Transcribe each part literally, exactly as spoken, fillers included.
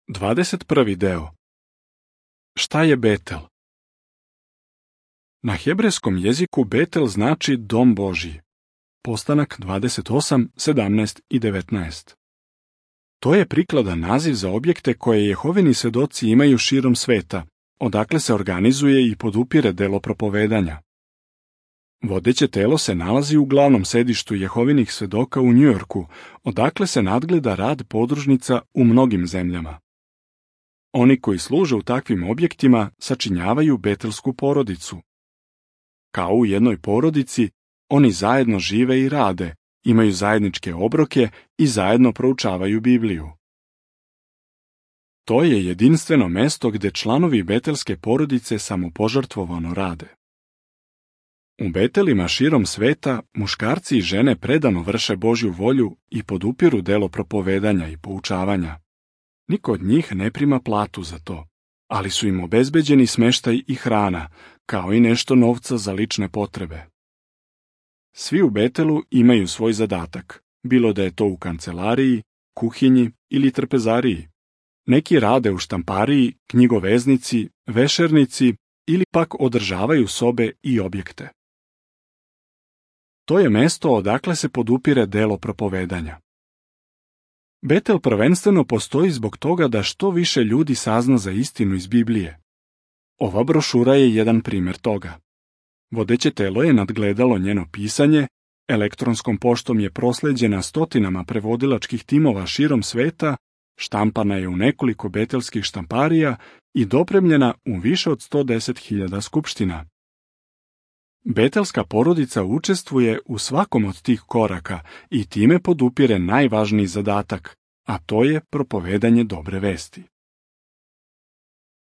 dvadeset prvi deo. Šta je Betel? Na hebrejskom jeziku Betel znači dom Božji. Postanak dvadeset osam, sedamnaest i devetnaest. To je prikladan naziv za objekte koje Jehovini svedoci imaju širom sveta, odakle se organizuje i podupire delo propovedanja. Vodeće telo se nalazi u glavnom sedištu Jehovinih svedoka u Njujorku, odakle se nadgleda rad podružnica u mnogim zemljama. Oni koji služe u takvim objektima sačinjavaju betelsku porodicu. Kao u jednoj porodici, oni zajedno žive i rade, imaju zajedničke obroke i zajedno proučavaju Bibliju. To je jedinstveno mesto gde članovi betelske porodice samopožrtvovano rade. U Betelima širom sveta muškarci i žene predano vrše Božju volju i podupiru delo propovedanja i poučavanja. Niko od njih ne prima platu za to, ali su im obezbeđeni smeštaj i hrana, kao i nešto novca za lične potrebe. Svi u Betelu imaju svoj zadatak, bilo da je to u kancelariji, kuhinji ili trpezariji. Neki rade u štampariji, knjigoveznici, vešernici ili pak održavaju sobe i objekte. To je mesto odakle se podupire delo propovedanja. Betel prvenstveno postoji zbog toga da što više ljudi sazna za istinu iz Biblije. Ova brošura je jedan primjer toga. Vodeće telo je nadgledalo njeno pisanje, elektronskom poštom je prosleđena stotinama prevodilačkih timova širom sveta, štampana je u nekoliko betelskih štamparija i dopremljena u više od sto deset hiljada skupština. Betelska porodica učestvuje u svakom od tih koraka i time podupire najvažniji zadatak, a to je propovedanje dobre vesti.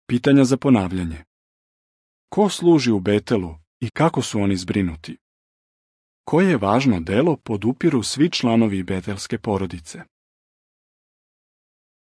Pitanja za ponavljanje. Ko služi u Betelu i kako su oni zbrinuti? Koje važno delo podupiru svi članovi betelske porodice?